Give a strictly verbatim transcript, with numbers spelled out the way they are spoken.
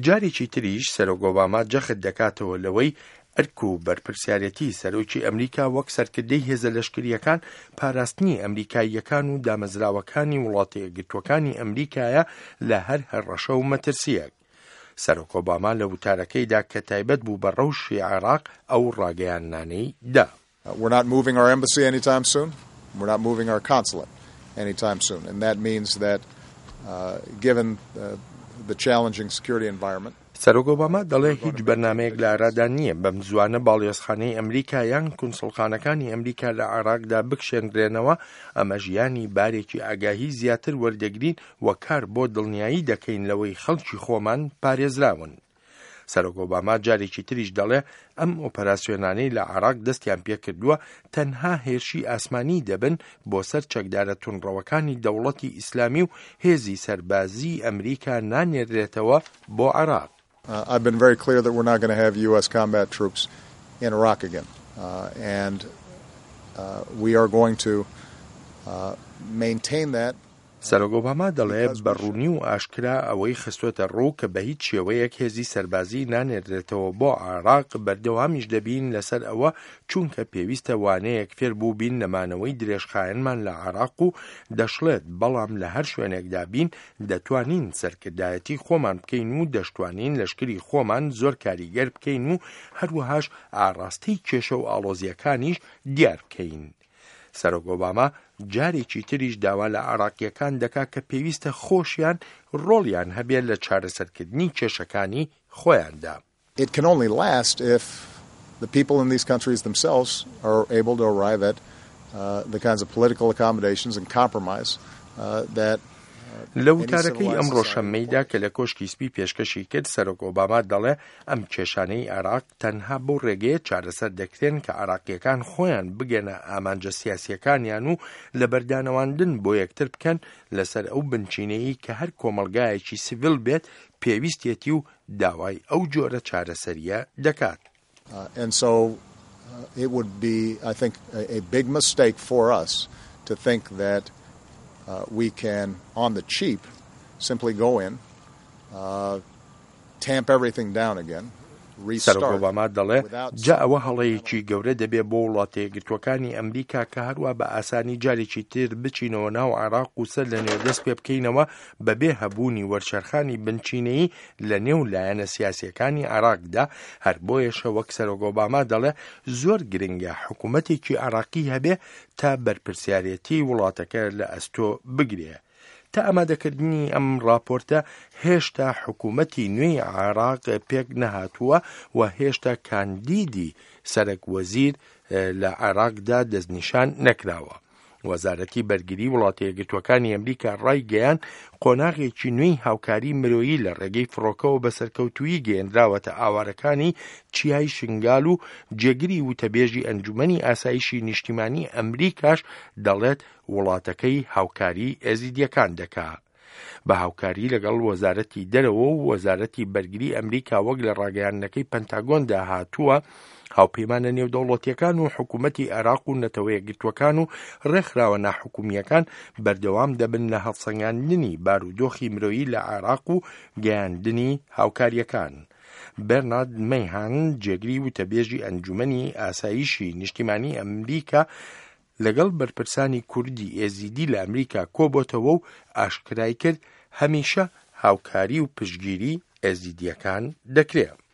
جارێکی تریش سەرۆک ئۆباما جەخت دەکاتەوە لەوەی ئەرک و بەرپرسیارەتی سەرۆکی ئەمریکا وەک سەرکردەی هێزە لەشکریەکان پاراستنی ئەمریکاییەکان و دامەزراوەکانی وڵاتە یەکگرتووەکانی ئەمریکایە لە هەر هەڕەشە و مەترسیەک. سەرۆک ئۆباما لە وتارەکەیدا کە تایبەت بوو بە ڕەوشی عێراق ئەو ڕاگەیاندنانەی دا. We're not moving our embassy anytime soon. We're not moving our consulate anytime soon. And that means that uh, given uh, the challenging security environment, سەرۆک ئۆباما دەڵێ هیچ بەرنامەیەک لە ئارادا نییە بەم زووانە باڵیۆزخانەی ئەمریکا یان کونسڵخانەکانی ئەمریکا لە عێراقدا بکشێنرێنەوە، ئەمەش یانی بارێکی ئاگاهی زیاتر وەردەگرین و کار بۆ دڵنیایی دەکەین لەوەی خەڵکی خۆمان پارێزراون. سەرۆک ئۆباما جارێکی تریش دەڵێ ئەم ئۆپەراسیۆنانەی لە عێراق دەستیان پێکردووە تەنها هێرشی ئاسمانی دەبن بۆ سەر چەکدارە توندڕەوەکانی دەوڵەتی ئیسلامی و هێزی سەربازی ئەمریکا نانێرێتەوە بۆ عێراق. Uh, I've been very clear that we're not going to have U S combat troops in Iraq again. Uh, and uh, we are going to uh, maintain that. سەرۆک ئۆباما دەڵێ بە ڕوونی و ئاشکرا ئەوەی خستووەتە ڕوو کە بە هیچ شێوەیەک هێزی سەربازی نانێرێتەوە بۆ عێراق، بەردەوامیش دەبین لەسەر ئەوە چونکە پێویستە وانەیەک فێر بوو بین لە مانەوەی درێژخایەنمان لە عێراق و دەشڵێت بەڵام لە هەر شوێنێکدا بین دەتوانین سەرکردایەتی خۆمان بکەین و دەشتوانین لەشکری خۆمان زۆر کاریگەر بکەین و هەروەهاش ئاراستەی کێشە و ئاڵۆزیەکانیش دیار بکەین. سەرۆک ئۆباما جارێکی تریش داوا لە عێراقیەکان دەکا کە پێویستە خۆشیان ڕۆڵیان هەبێت لە چارەسەرکردنی کێشەکانی خۆیاندا. It can only last if the people in these countries themselves are able to arrive at uh, the kinds of political accommodations and compromise uh, that لە وتارەکەی ئەمڕۆ شەممەیدا کە لە کۆشکی سپی پێشکەشی کرد، سەرۆک ئۆباما دەڵێ ئەم کێشانەی عێراق تەنها بەو ڕێگەیە چارەسەر دەکرێن کە عێراقیەکان خۆیان بگەنە ئامانجە سیاسیەکانیان و لەبەردانەواندن بۆ یەکتر بکەن لەسەر ئەو بنچینەیە کە هەر کۆمەڵگایەکی سیڤیل بێت پێویستێتی و داوای ئەو جۆرە چارەسەریە دەکات. Uh, and so uh, it would be, I think, a, a big mistake for us to think that uh, we can, on the cheap, simply go in, uh, tamp everything down again, سەرۆک ئۆباما دەڵێ جا ئەوە هەڵەیەکی گەورە دەبێ بۆ وڵاتە یەکگرتووەکانی ئەمریکا کە هەروە بە ئاسانی جارێکی تر بچینەوە ناو عێراق و سەر لە نوێ دەست پێ بکەینەوە بەبێ هەبوونی وەرچەرخانی بنچینەیی لە نێو لایەنە سیاسیەکانی عێراقدا. هەر بۆیەشە وەک سەرۆک ئۆباما دەڵێ زۆر گرنگە حکوومەتێکی عێراقی هەبێ تا بەرپرسیارەتی وڵاتەکە لە ئەستۆ بگرێ. تا ئامادەکردنی ئەم راپۆرتە هێشتا حکوومەتی نوێی عێراق پێک نەهاتووە و هێشتا کاندیدی سەرەک وەزیر لە عێراقدا دەستنیشان نەکراوە. وەزارەتی بەرگری وڵاتە یەکگرتووەکانی ئەمریکا ڕایگەیاند قۆناغێکی نوێی هاوکاری مرۆیی لە ڕێگەی فڕۆکەوە بە سەرکەوتوویی گەیەنراوەتە ئاوارەکانی چیای شنگال و جێگری وتەبێژی ئەنجومەنی ئاسایشی نیشتیمانی ئەمریکاش دەڵێت وڵاتەکەی هاوکاری ئێزیدیەکان دەکا. بە هاوکاری لەگەڵ وەزارەتی دەرەوە و وەزارەتی بەرگری ئەمریکا، وەک لە ڕاگەیاندنەکەی پەنتاگۆندا هاتووە، هاوپەیمانە نێودەوڵەتیەکان و حکوومەتی عێراق و نەتەوە یەکگرتووەکان و ڕێکخراوە ناحکومیەکان بەردەوام دەبن لە هەڵسەنگاندنی بارودۆخی مرۆیی لە عێراق و گەیاندنی هاوکاریەکان. بەرنارد مەیهان، جێگری وتەبێژی ئەنجومەنی ئاسایشی نیشتیمانی ئەمریکا، لەگەڵ بەرپرسانی کوردی ئێزیدی لە ئەمریکا کۆبۆتەوە و ئاشکرای کرد هەمیشە هاوکاری و پشتگیری ئێزیدیەکان دەکرێت.